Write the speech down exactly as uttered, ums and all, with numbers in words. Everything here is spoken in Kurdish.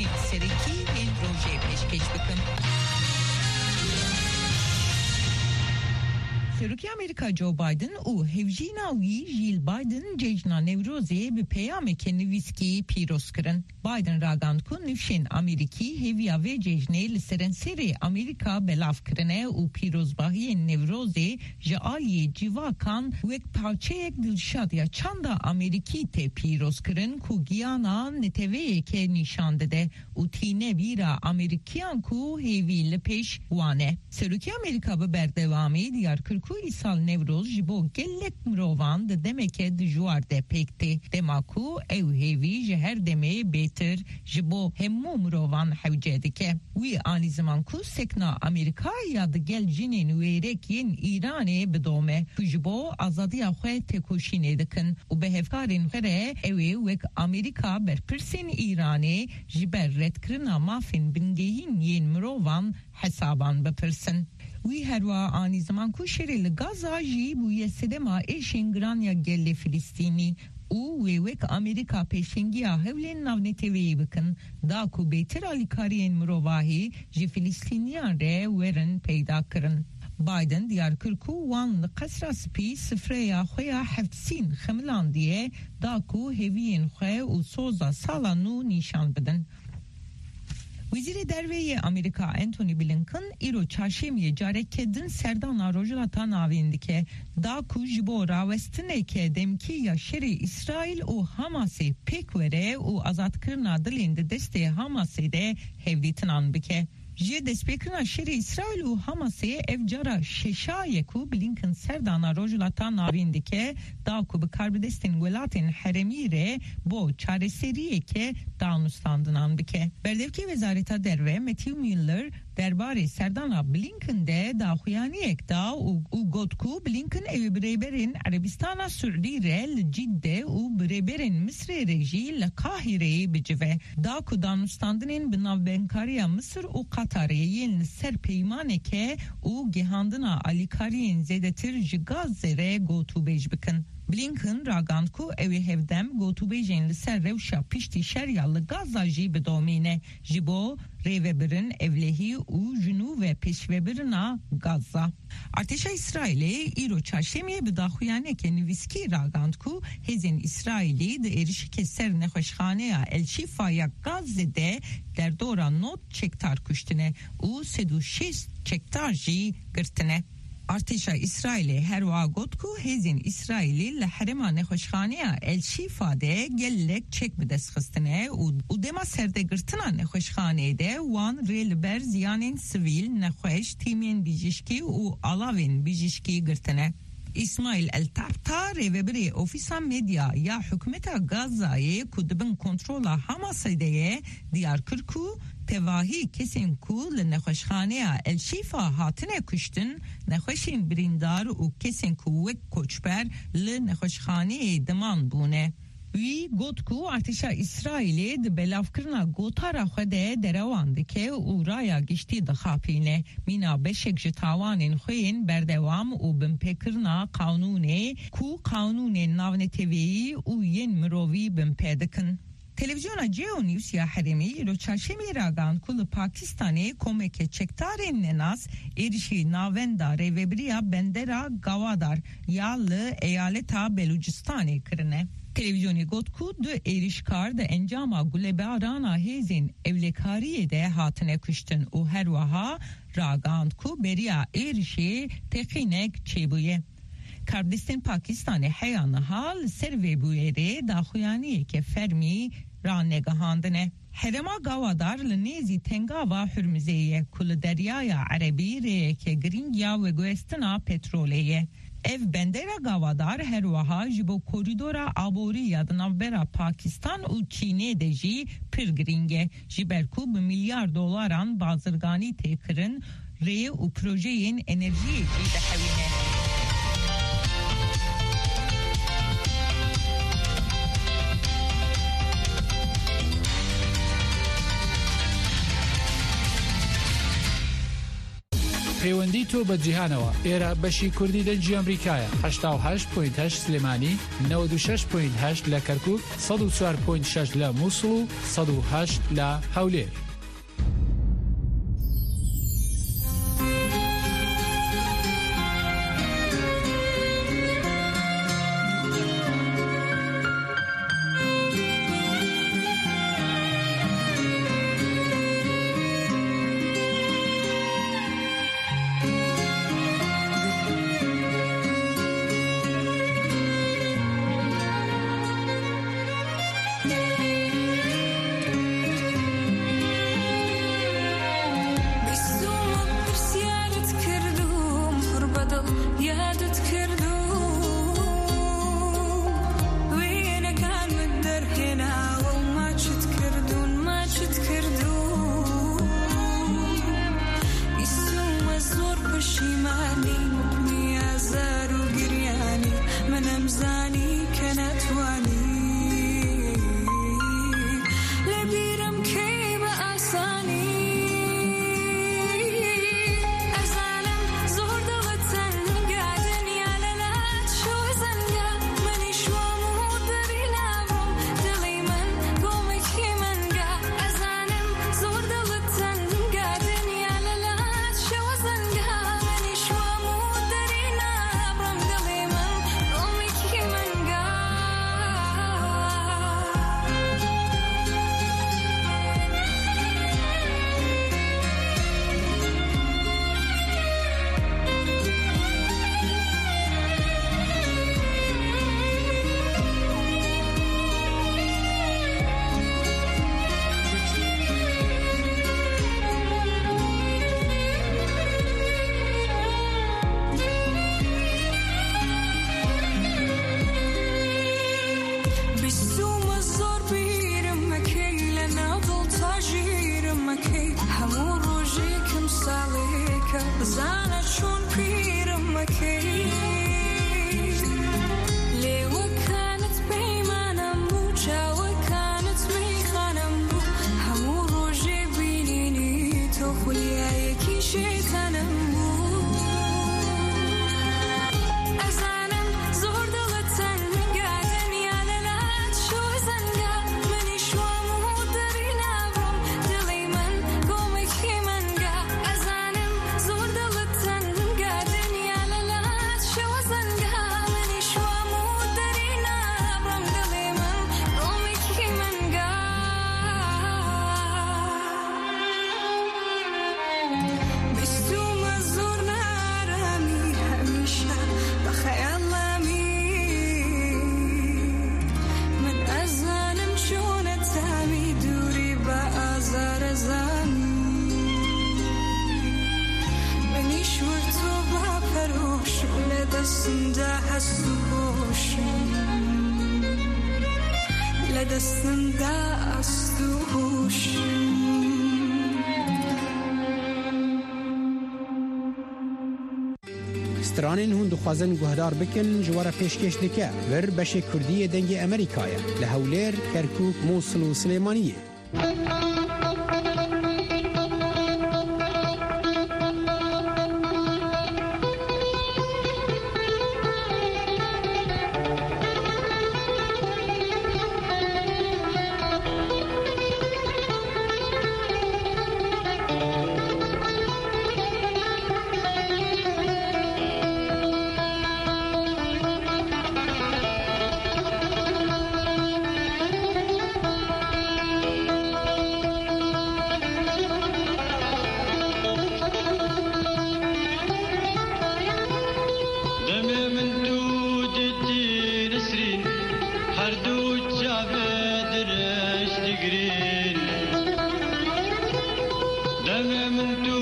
Ên serekî ên rojê pêşkêş bikim. Serokê Amerîka Joe Biden û hevjîna wî Jill Biden cejna Newrozê bi peyameke nivîskî pîroz kirin. Biden ragand ku nifşên Amerîkî hêviya vê cejnê li serenserê Amerîka belav kirine û pîrozbahiyên Newrozê ji aliyê cîvakan wek parçeyek dilşad ya çanda Amerîkî tê pîroz kirin ku giyana neteweyeke nîşan dide û tîne bîra Amerîkiyan ku hêvî li pêş wan e. Serokê Amerîka bi berdewamî diyar kir ku îsal Newroz ji bo gelek mirovan di demeke dijwar de pêk tê, dema ku ew hêvî ji her demê bêtir ji bo hemû mirovan hewce dike. Wî anî ziman ku sekna Amerîka ya di gel jinên wêrek yên Îranê bidome ku ji bo azadiya xwe têkoşînê dikin û bi hevkarên xwe re ew ê wek Amerîka berpirsên Îranê ji ber redkirina mafên bingehîn yên mirovan hesaban bipirsin. Wî herwiha anî ziman ku şerê li Gaza jî bûye sedema êşên giran ya gelê Filistînî û wê wek Amerîka pêşengiya hewlên navneteweyî bikin, da ku bêtir alîkariyên mirovahî ji Filistîniyan re werin peyda kirin. Biden diyar kir ku wan li Qesra Spî sifreya xwe ya heft sîn xemilandiye, da ku hêviyên xwe û soza sala nû nîşan bidin. Wezîrê Derve yê Amerîka Antony Blinken îro çarşemiyê careke din serdana Rojhilata Navîn dike, da ku ji bo rawestineke demkî ya şerê Îsraîl û Hamasê pêk were û azadkirina dilên di destê Hamasê de hevdîtinan bike. Ji destpêkirina şerê Îsraîl û Hamasê ev cara şeşa ye ku Blinken serdana Rojhilata Navîn dike, da ku bi karbidestên welatên herêmî re bo çareseriyeke danûstandinan bike. Berdevkê Wezareta Derve Matthew Miller derbarê serdana Blinken de daxuyaniyek da û, û got ku Blinken ew ê bi rêberên Erebistana Siûdî re li Cidde û bi rêberên Misrê re jî li Qahireyê bicive. Da ku danûstandinên bi navbenkariya Misir û Qatarê yên li ser peymaneke û gihandina alîkariyên zêdetir ji Gazze re gotûbêj bikin. Blinken ragand ku ew ê hevdem gotûbêjên li ser rewşa piştî şer ya li Gaza jî bidomîne, ji bo rêvebirin ewlehî û ji nû ve pêşvebirina Gaza. Artêşa Îsraîlê îro çarşemiyê bi daxuyaniyeke nivîskî ragand ku hêzên Îsraîlî di êrişeke ser nexweşxaneya El Şîfa ya Gazze de derdora nod çekdar kuştine û sed û şêst çekdar jî girtine. Artêşa Îsraîlê herwiha got ku hêzên Îsraîlî li herêma nexweşxaneya El Şîfa de gelek çek bi dest xistine û, û dema serdegirtina nexweşxaneyê de wan rê li ber ziyanên sivîl, nexweş, tîmên bijîşkî û alavên bijîşkî girtine. Îsmaîl El Tabta, rêvebirê Ofîsa Medya ya Hikûmeta Gazayê ku di bin kontrola Hamasê de ye, diyar kir ku tevahî kesên ku li nexweşxaneya El Şîfa hatine kuştin, nexweşên birîndar û kesên ku wek koçber li nexweşxaneyê diman bûne. Wî got ku artêşa Îsraîlê di belavkirina gotara xwe de derewan dike û raya giştî dixapîne. Mîna beşek ji tawanên xwe yên berdewam û binpêkirina qanûnê ku qanûnên navneteweyî û yên mirovî binpê dikin. Televîzyona Geo News ya herêmî îro çarşemê ragand ku li Pakistanê komeke çekdarên nenas êrişî navenda rêvebiriya bendera Gawadar ya li eyaleta Belûcistanê kirine. Televîzyonê got ku du êrişkar di encama gulebarana hêzên ewlekariyê de hatine kuştin û herwiha ragand ku beriya êrişê teqînek çêbûye. Karbidestên Pakistanê heya niha li ser vê bûyerê daxuyaniyeke fermî ranegihandine. Herêma Gawadar li nêzî Tengava Hurmizê ye ku li Deryaya Erebî rêyeke girîng ya veguhestina petrolê ye. Ev bendera Gawadar her wiha ji bo korîdora aborî ya di navbera Pakistan û Çînê de jî pir girîng e, ji ber ku bi milyar dolaran bazirganî tê kirin, rê û projeyên enerjiyê jî dihewîne. پەیوەندی تۆ بە جیهانەوە. ئێرە بەشی کوردی دەنگی ئەمریکایە. هەشتا و هەشت پۆینت هەشت سلێمانی، نەوەد و شەش پۆینت هەشت لە کەرکووک، سەد و چوار پۆینت شەش لە مووسڵ و سەد و هەشت لە هەولێر. بیستومە پرسیارت کردوم، پڕ بە دڵ یادت کردوم. وێنەکانمت دەرهێناوە و ماچت کردوون، ماچت کردوون. بیستومە زۆر پەشیمانی، حکمی ئازار و گریانی، من ئەمزانی کە ناتوانی. لە بیرم کەی بە ئاسانی. ئەزانم زۆر دڵت تەنگا، دنیا لە لات شۆ زەنگا، منیش وام و دەری نابڕم، دڵی من گۆمێکی مەنگا. ئەزانم زۆر دڵت تەنگا، دنیا لە لات شۆ زەنگا، منیش وام و دەری نابڕم، دڵی من گۆمێکی مەنگا. بیستومە زۆر بیرم مەکەی، لە ناو دڵ تا ژیرم مەکەی. هەموو ڕۆژێکم ساڵێکە، بزانە چۆن پیرم مەکەی. لێوەکانت پەیمانم بوو، چاوەکانت مەیخانم بوو. هەموو ڕۆژێ بینینی تۆ خولیایەکی شێتانم بوو. ئەزانم زۆر دڵت تەنگا، دنیا لە لات شۆ زەنگا، منیش وام و دەری نابڕم، دڵی من گۆمێکی مەنگا. ئەزانم زۆر دڵت تەنگا، دنیا لە لات شۆ زەنگا، منیش وام و دەری نابڕم، دڵی من گۆمێکی مەنگا. بیستومە زۆر نارامی، هەمیشە بە خەیاڵامی. من ئەزانم چۆنە تامی دووری بە ئازارە زامی. منیش وەک تۆ با پەرۆشم، لە دەستمدا هەست و هۆشم. لە دەستمدا ئەست و هۆشم. Stranên hûn dixwazin guhdar bikin, ji we re pêşkêş dike. Vir beşê Kurdî yê Dengê Amerîkayê, li Hewlêr, Kerkûk, Mûsil û Silêmaniyê. Demê min tu dîtî Nisrîn, her du çavê dirêj digrîn. Demê min tu